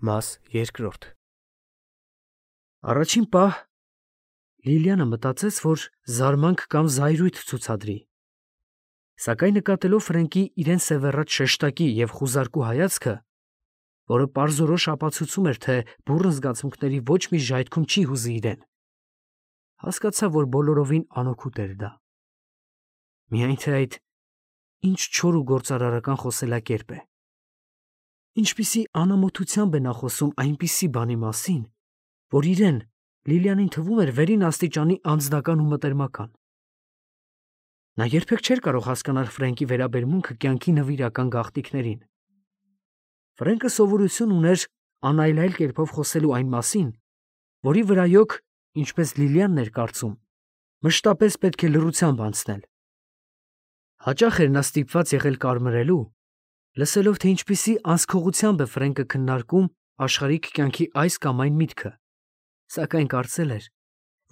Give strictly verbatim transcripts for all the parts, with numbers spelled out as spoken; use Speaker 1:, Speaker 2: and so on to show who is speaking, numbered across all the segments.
Speaker 1: Մաս երկրորդ Առաջին պահ Լիլիանը մտածեց, որ զարմանք կամ զայրույթ ցուցադրի, սակայն նկատելով Ֆրենկի իրեն սևեռած շեշտակի և խուզարկու հայացքը, որը պարզորոշ ապացուցում էր, թե բուռն զգացմունքների ոչ մի ժայթքում չի հուզի իրեն, հասկացավ, որ բոլորովին անօգուտ էր դա։ Միայն թե այդ ինչ չոր ու գործարարական խոսելակերպ է։ Ինչպիսի անամոթությամբ է նա խոսում այնպիսի բանի մասին, որ իրեն, Լիլիանին թվում էր վերին աստիճանի անձնական ու մտերմական։ Նա երբեք չէր կարող հասկանալ Ֆրենկի վերաբերմունքը կյանքի նվիրական գաղտնիքներին։ Ֆրենկը սովորություն ուներ անայլայլ կերպով խոսելու այն մասին, որի վրայոք, ինչպես Լիլիանն էր կարծում, մշտապես պետք է լռությամբ անցնել։ Հաճախ էր նա ստիպված եղել կարմրելու, լսելով, թե ինչպիսի անսքողությամբ է Ֆրենկը քննարկում աշխարհիկ կյանքի այս կամ այն միտքը, սակայն կարծել էր,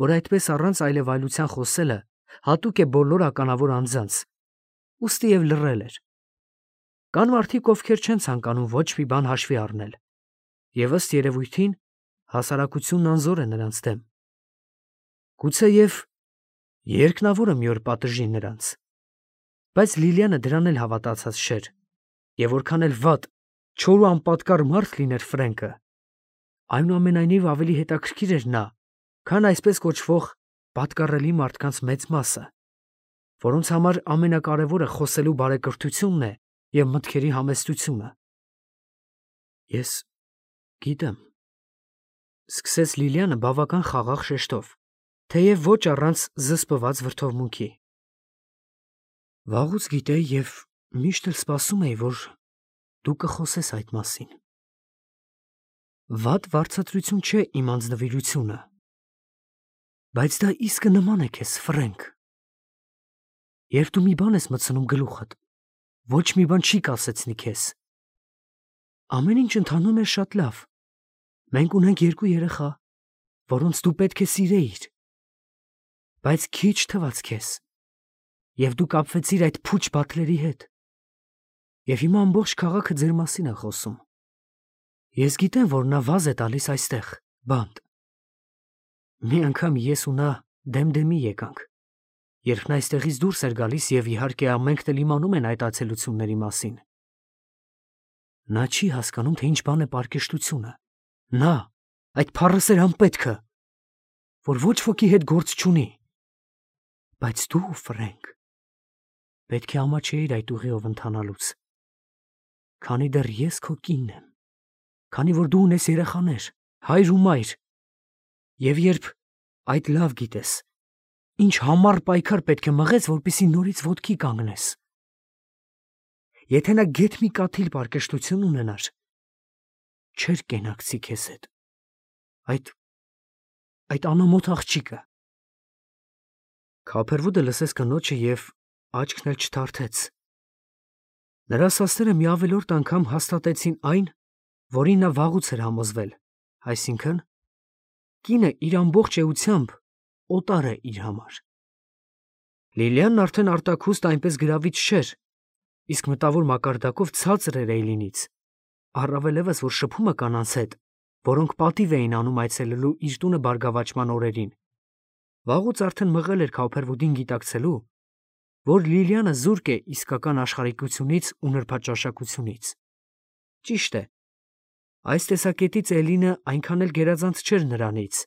Speaker 1: որ այդպես առանց այլևայլության խոսելը հատուկ է բոլոր ականավոր անձանց, ուստի և լռել էր։ Կան մարդիկ, ովքեր չեն ցանկանում ոչ մի բան հաշվի առնել, և ըստ երևույթին հասարակությունն անզոր է նրանց դեմ։ Գուցեև երկնավորը մի օր պատժի նրանց։ Բայց Լիլիանը դրան էլ հավատացած չէր, և որքան էլ վատ, չոր ու անպատկառ մարդ լիներ Ֆրենկը, այնուամենայնիվ ավելի հետաքրքիր էր նա, քան այսպես կոչվող պատկառելի մարդկանց մեծ մասը, որոնց համար ամենակարևորը խոսելու բարեկրթությունն է և մտքերի համեստությունը։ Ես գիտեմ, ֊ սկսեց Լիլիանը բավական խաղաղ շեշտով, թեև ոչ առանց զսպված վրդովմունքի։ Վաղուց գիտեի և միշտ էլ սպասում էի, որ դու կխոսես այդ մասին։ Վատ վարձատրություն չէ իմ անձնվիրությունը, բայց դա իսկը նման է քեզ, Ֆրենկ։ Երբ դու մի բան ես մտցնում գլուխդ, ոչ մի բան չի կասեցնի քեզ։ Ամեն ինչ ընթանում է շատ լավ։ Մենք ունենք երկու երեխա, որոնց դու պետք է սիրեիր։ Բայց քիչ թվաց քեզ, և դու կապվեցիր այդ փուչ բաթլերի հետ։ Եվ հիմա ամբողջ քաղաքը ձեր մասին է խոսում։ Ես գիտեմ, որ նա վազ է տալիս այստեղ, բանտ։ Մի անգամ ես ու նա դեմ-դեմի եկանք, երբ նա այստեղից դուրս էր գալիս, և իհարկե ամենքն էլ իմանում են այդ այցելությունների մասին։ Նա չի հասկանում, թե ինչ բան է պարկեշտությունը։ Նա, այդ փառասեր անպետքը, որ ոչ ոքի հետ գործ չունի։ Բայց դու, Ֆրենկ, պետք է ամաչեիր այդ ուղիով ընթանալուց, քանի դեռ ես քո կինն եմ, քանի որ դու ունես երեխաներ, հայր ու մայր, և երբ այդ լավ գիտես, ինչ համառ պայքար պետք է մղես, որպեսզի նորից ոտքի կանգնես։ Եթե նա գեթ մի կաթիլ պարկեշտություն ունենար, չէր կենակցի քեզ հետ, այդ, այդ անամոթ աղջիկը։ Քափերվուդը լսեց կնոջը և աչքն էլ չթարթեց։ Նրա ասածները մի ավելորդ անգամ հաստատեցին այն, որին նա վաղուց էր համոզվել, այսինքն՝ կինը իր ամբողջ էությամբ օտար է իր համար։ Լիլիանն արդեն արտաքուստ այնպես գրավիչ չէր, իսկ մտավոր մակարդակով ցածր էր Էյլինից, առավելևս, որ շփումը կանանց հետ, որոնք պատիվ էին անում այցելելու իր տունը բարգավաճման օրերին, վաղուց արդեն մղել էր Քափերվուդին գիտակցելու, որ Լիլիանը զուրկ է իսկական աշխարհիկությունից ու նրբաճաշակությունից։ Ճիշտ է, այս տեսակետից Էլինը այնքան էլ գերազանց չէր նրանից,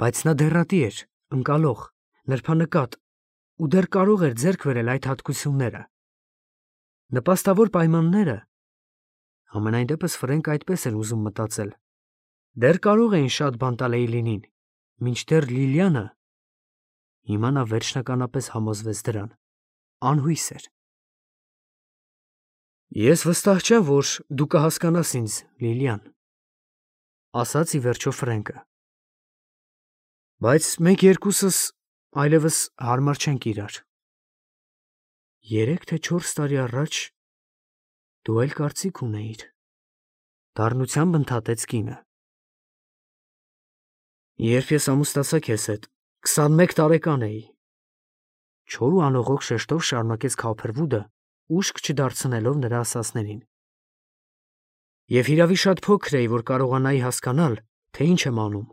Speaker 1: բայց նա դեռատի էր, ընկալող, նրբանկատ ու դեռ կարող էր ձեռք բերել այդ հատկությունները։ Նպաստավոր պայմանները, համենայն դեպս Ֆրենկը այդպես էր ուզում մտածել, դեռ կարող էին շատ բան տալ Էյլինին, մինչդեռ Լիլիանը, հիմա նա վերջնականապես համոզվեց դրան, անհույս էր։ Ես վստահ չեմ, որ դու կհասկանաս ինձ, Լիլիան, ասաց ի վերջո Ֆրենկը, բայց մենք երկուսս այլևս հարմար չենք իրար։ Երեք թե չորս տարի առաջ դու այլ կարծիք ունեիր, դառնությամբ ընդհատեց կինը։ Երբ ես ամուսնացա քեզ հետ, քսանմեկ տարեկան էի, չոր ու անողոք շեշտով շարունակեց Քափերվուդը, ուշք չդարձնելով նրա ասածներին։ Եվ հիրավի շատ փոքր էի, որ կարողանայի հասկանալ, թե ինչ եմ անում։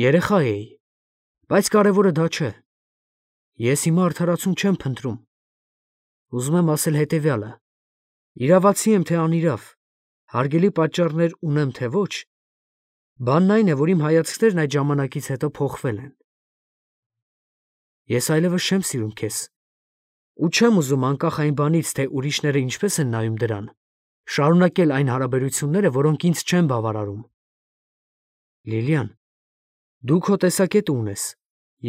Speaker 1: Երեխա էի, բայց կարևորը դա չէ։ Ես հիմա արդարացում չեմ փնտրում։ Ուզում եմ ասել հետևյալը. իրավացի եմ, թե անիրավ, հարգելի պատճառներ ունեմ, թե ոչ, բանն այն է, որ իմ հայացքներն այդ ժամանակից հետո փոխվել են։ Ես այլևս չեմ սիրում քեզ, ու չեմ ուզում անկախ այն բանից, թե ուրիշները ինչպես են նայում դրան, շարունակել այն հարաբերությունները, որոնք ինձ չեն բավարարում։ Լիլիան, դու քո տեսակետը ունես,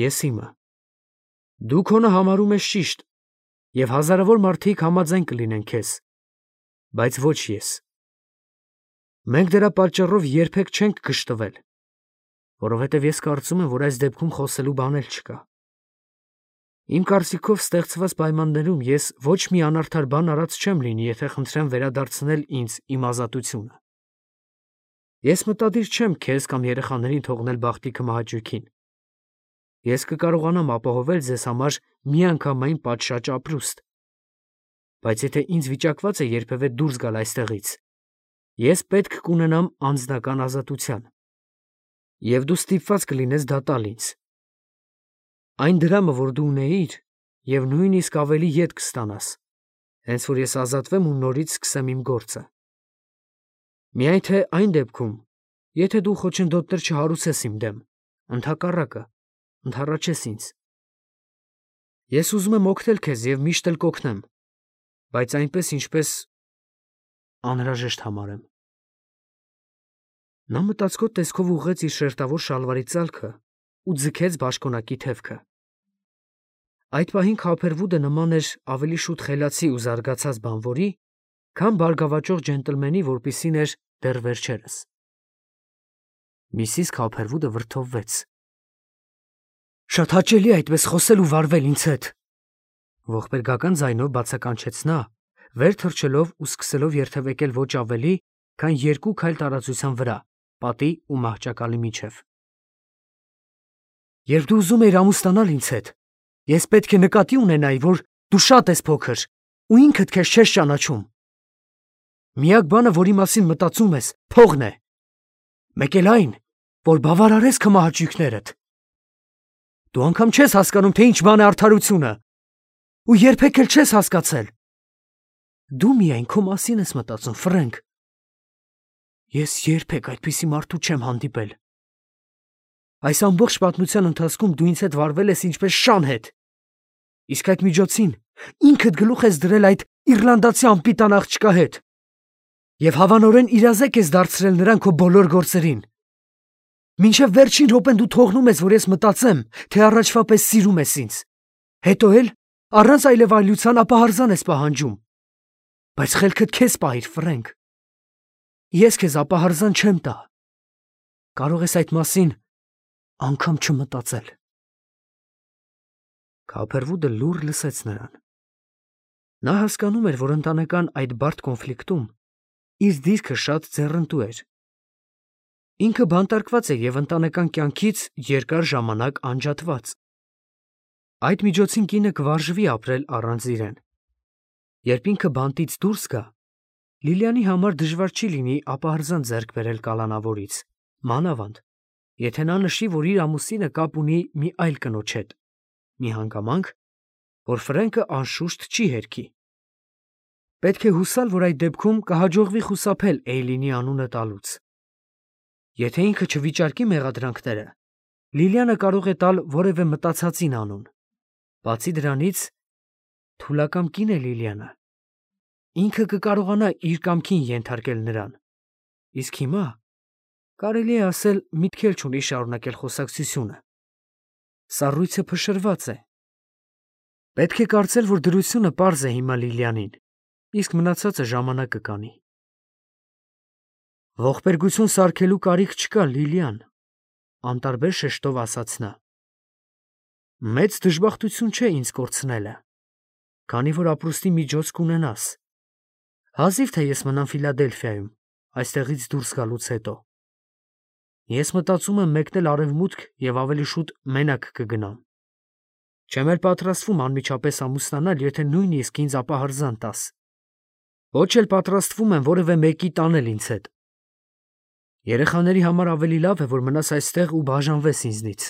Speaker 1: ես իմը։ Դու քոնը համարում ես ճիշտ, և հազարավոր մարդիկ համաձայն կլինեն քեզ, բայց ոչ ես։ Մենք դրա պատճառով երբեք չենք գժտվել, որովհետև ես կարծում եմ, որ այս դեպքում խոսելու բան էլ չկա։ Իմ կարծիքով ստեղծված պայմաններում ես ոչ մի անարդար բան արած չեմ լինի, եթե խնդրեմ վերադարձնել ինձ իմ ազատությունը։ Ես մտադիր չեմ քեզ կամ երեխաներին թողնել բախտի քմահաճույքին։ Ես կկարողանամ ապահովել ձեզ համար միանգամայն պատշաճ ապրուստ։ Բայց եթե ինձ վիճակված է երբևէ դուրս գալ այստեղից, ես պետք կունենամ անձնական ազատության, և դու ստիպված կլինես դա տալ ինձ։ Այն դրամը, որ դու ունեիր, և նույնիսկ ավելի ետ կստանաս, հենց որ ես ազատվեմ ու նորից սկսեմ իմ գործը։ Միայն թե այն դեպքում, եթե դու խոչընդոտներ չհարուցես իմ դեմ, ընդհակառակը, ընդառաջես ինձ։ Ես ուզում եմ օգնել քեզ և միշտ էլ կօգնեմ, բայց այնպես, ինչպես անհրաժեշտ համարեմ։ Նա մտածկոտ տեսքով ուղղեց իր շերտավոր շալվարի ծալքը ու ձգեց բաշխոնակի թևքը։ Այդ պահին Քոփերվուդը նման էր ավելի շուտ խելացի ու զարգացած բանվորի, քան բարգավաճող ջենտլմենի, որպիսին էր դեռ վերջերս։ Միսիս Քոփերվուդը վրդովվեց։ Շատ հաճելի է այդպես խոսել ու վարվել ինձ հետ, ողբերգական ձայնով բացականչեց նա, վեր թռչելով ու սկսելով երթևեկել ոչ ավելի, քան երկու քայլ տարածության վրա, պատի ու մահճակալի միջև։ Երբ դու ուզում էիր ամուսնանալ ինձ հետ, ես պետք է նկատի ունենայի, որ դու շատ ես փոքր ու ինքդ քեզ չես ճանաչում։ Միակ բանը, որի մասին մտածում ես, փողն է։ Մեկ էլ այն, որ բավարարես քմահաճույքներդ։ Դու անգամ չես հասկանում, թե ինչ բան է արդարությունը, ու երբեք էլ չես հասկացել։ Դու միայն քո մասին ես մտածում, Ֆրենկ։ Ես երբեք այդպիսի մարդու չեմ հանդիպել։ Այս ամբողջ պատմության ընթացքում դու ինձ հետ վարվել ես ինչպես շան հետ։ Իսկ այդ միջոցին ինքդ գլուխ ես դրել այդ իռլանդացի անպիտան աղջկա հետ, և հավանորեն իրազեկ ես դարձրել նրան քո բոլոր գործերին։ Մինչև վերջին րոպեն դու թողնում ես, որ ես մտածեմ, թե առաջվա պես սիրում ես ինձ, հետո էլ առանց այլևայլության ապահարզան ես պահանջում։ Բայց խելքդ քեզ պահիր, Ֆրենկ։ Ես քեզ ապահարզան չեմ տա։ Կարող ես այդ մասին անգամ չմտածել։ Քոփերվուդը լուռ լսեց նրան։ Նա հասկանում էր, որ ընտանեկան այդ բարդ կոնֆլիկտում իր դիրքը շատ ձեռնտու էր։ Ինքը բանտարկված է և ընտանեկան կյանքից երկար ժամանակ անջատված։ Այդ միջոցին կինը կվարժվի ապրել առանց իրեն։ Երբ ինքը բանտից դուրս գա, Լիլիանի համար դժվար չի լինի ապահարզան ձեռք բերել կալանավորից, մանավանդ, եթե նա նշի, որ իր ամուսինը կապ ունի մի այլ կնոջ հետ, մի հանգամանք, որ Ֆրենկը անշուշտ չի հերքի։ Պետք է հուսալ, որ այդ դեպքում կհաջողվի խուսափել Էյլինի անունը տալուց։ Եթե ինքը չվիճարկի մեղադրանքները, Լիլիանը կարող է տալ որևէ մտածածին անուն։ Բացի դրանից, թուլակամ կին է Լիլիանը։ Ինքը կկարողանա իր կամքին ենթարկել նրան։ Իսկ հիմա, կարելի է ասել, միտք էլ չունի շարունակել խոսակցությունը։ Սառույցը փշրված է։ Պետք է կարծել, որ դրությունը պարզ է հիմա Լիլիանին, իսկ մնացածը ժամանակը կանի։ Ողբերգություն սարքելու կարիք չկա, Լիլիան, անտարբեր շեշտով ասաց նա։ Մեծ դժբախտություն չէ ինձ կորցնելը, քանի որ ապրուստի միջոց կունենաս։ Հազիվ թե ես մնամ Ֆիլադելֆիայում, այստեղից դուրս գալուց հետո։ Ես մտածում եմ մեկնել արևմուտք և ավելի շուտ մենակ կգնամ։ Չեմ էլ պատրաստվում անմիջապես ամուսնանալ, եթե նույնիսկ ինձ ապահարզան տաս։ Ոչ էլ պատրաստվում եմ որևէ մեկի տանել ինձ հետ։ Երեխաների համար ավելի լավ է, որ մնաս այստեղ ու բաժանվես ինձնից։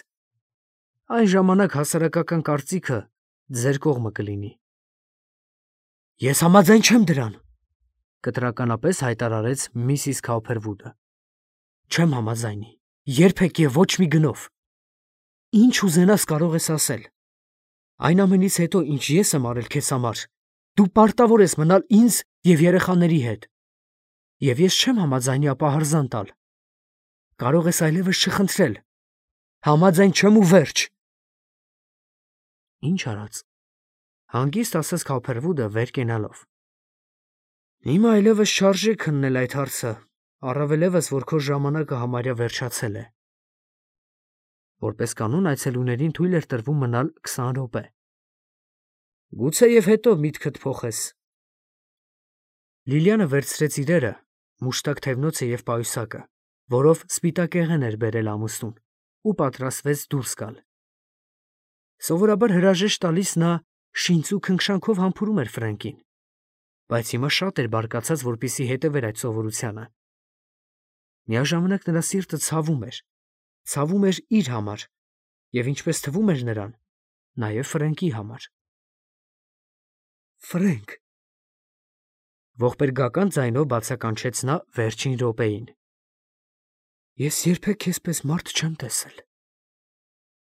Speaker 1: Այն ժամանակ հասարակական կարծիքը ձեր կողմը կլինի։ Ես համաձայն չեմ դրան, կտրականապես հայտարարեց միսիս Քաուփերվուդը։ Չեմ համաձայնի, երբեք եւ ոչ մի գնով։ Ինչ ուզենաս կարող ես ասել։ Այն ամենից հետո, ինչ ես եմ արել քեզ համար, դու պարտավոր ես մնալ ինձ եւ երեխաների հետ։ Եվ ես չեմ համաձայնի ապահարզան տալ։ Կարող ես այլևս չխնդրել։ Համաձայն չեմ ու վերջ։ Ինչ արած։ Հանգիստ ասաց Քաուփերվուդը վեր կենալով։ Հիմա այլևս չարժե քննել այդ հարցը, առավելևս, որ քո ժամանակը համարյա վերջացել է։ Որպես կանոն այցելուներին թույլ էր տրվում մնալ քսան րոպե։ Գուցե եւ հետո միտքդ փոխես։ Լիլիանը վերցրեց իրերը, մուշտակ թևնոցը եւ պայուսակը, որով սպիտակեղեն էր բերել ամուսնուն, ու պատրաստվեց դուրս գալ։ Սովորաբար հրաժեշտ տալիս նա շինծ ու քնքշանքով համբուրում էր Ֆրենկին, բայց հիմա շատ էր բարկացած, որպեսզի հետևեր այդ սովորությանը։ Միաժամանակ նրա սիրտը ցավում էր, ցավում էր իր համար եւ ինչպես թվում էր նրան, նաեւ Ֆրենկի համար։ Ֆրենկ, ողբերգական ձայնով բացականչեց նա վերջին րոպեին։ Ես երբեք քեզպես մարդ չեմ տեսել։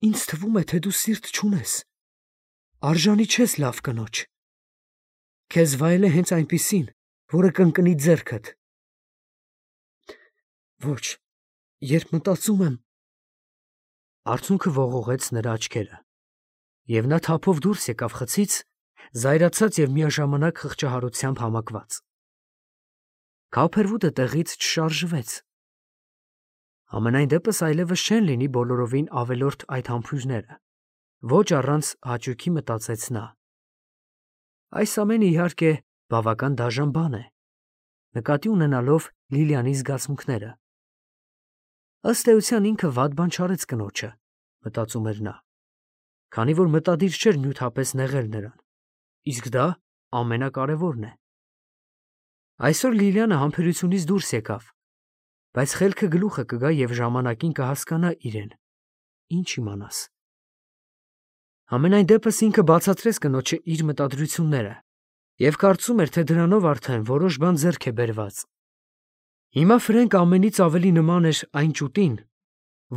Speaker 1: Ինձ թվում է, թե դու սիրտ չունես, արժանի չես լավ կնոջ։ Քեզ վայել է հենց այնպիսին, որը կընկնի ձեռքդ։ Ոչ, երբ մտածում եմ… Արցունքը ողողեց նրա աչքերը, եւ նա թափով դուրս եկավ խցից, զայրացած եւ միաժամանակ խղճահարությամբ համակված։ Քաուփերվուդը տեղից չշարժվեց։ Ամենայն դեպս այլևս չեն լինի բոլորովին ավելորդ այդ համբույրները, ոչ առանց հաճույքի մտածեց նա։ Այս ամենը իհարկե բավական դաժան բան է, նկատի ունենալով Լիլիանի զգացմունքները։ Ըստ էության ինքը վատ բան չարեց կնոջը, մտածում էր նա, քանի որ մտադիր չէր նյութապես նեղել նրան, իսկ դա ամենակարևորն է։ Այսօր Լիլիանը համբերությունից դուրս եկավ, բայց խելքը գլուխը կգա եւ ժամանակին կհասկանա իրեն, ինչ իմանաս։ Ամենայն դեպս ինքը բացատրեց կնոջը իր մտադրությունները եւ կարծում էր, թե դրանով արդեն որոշ բան ձեռք է բերված։ Հիմա Ֆրենկ ամենից ավելի նման էր այն ճուտին,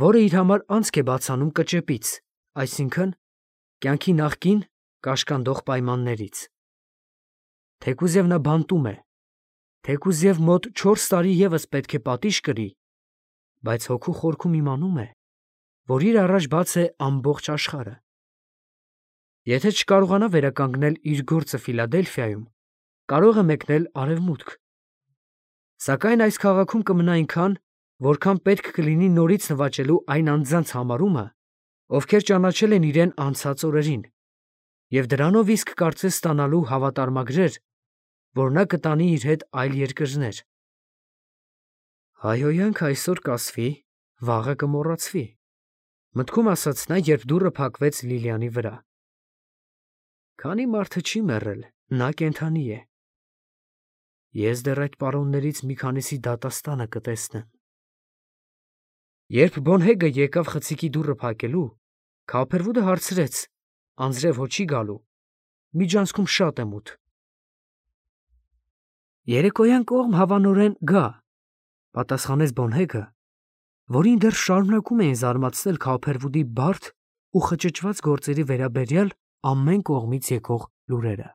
Speaker 1: որը իր համար անցք է բացանում կճեպից, այսինքն կյանքի նախկին կաշկանդող պայմաններից։ Թեկուզ եւ նա բանտում է, թեկուզ եւ մոտ չորս տարի եւս պետք է պատիժ կրի, բայց հոգու խորքում իմանում է, որ իր առաջ բաց է ամբողջ աշխարհը։ Եթե չկարողանա վերականգնել իր գործը Ֆիլադելֆիայում, կարող է մեկնել արևմուտք։ Սակայն այս քաղաքում կմնա այնքան, որքան պետք կլինի նորից նվաճելու այն անձանց համարումը, ովքեր ճանաչել են իրեն անցած օրերին, եւ դրանով իսկ կարծես ստանալու հավատարմագրեր, որ նա կտանի իր հետ այլ երկրներ։ Հայհոյանք այսօր կասվի, վաղը կմոռացվի, մտքում ասաց նա, երբ դուռը փակվեց Լիլիանի վրա։ Քանի մարդը չի մեռել, նա կենդանի է։ Ես դեռ այդ պարոններից մի քանիսի դատաստանը կտեսնեմ։ Երբ Բոնհեգը եկավ խցիկի դուռը փակելու, Քաուփերվուդը հարցրեց, անձրև հո չի գալու, միջանցքում շատ է մութ։ Երեկոյան կողմ հավանորեն գա, պատասխանեց Բոնհեգը, որին դեռ շարունակում էին զարմացնել Քաուփերվուդի բարդ ու խճճված գործերի վերաբերյալ ամեն կողմից եկող լուրերը։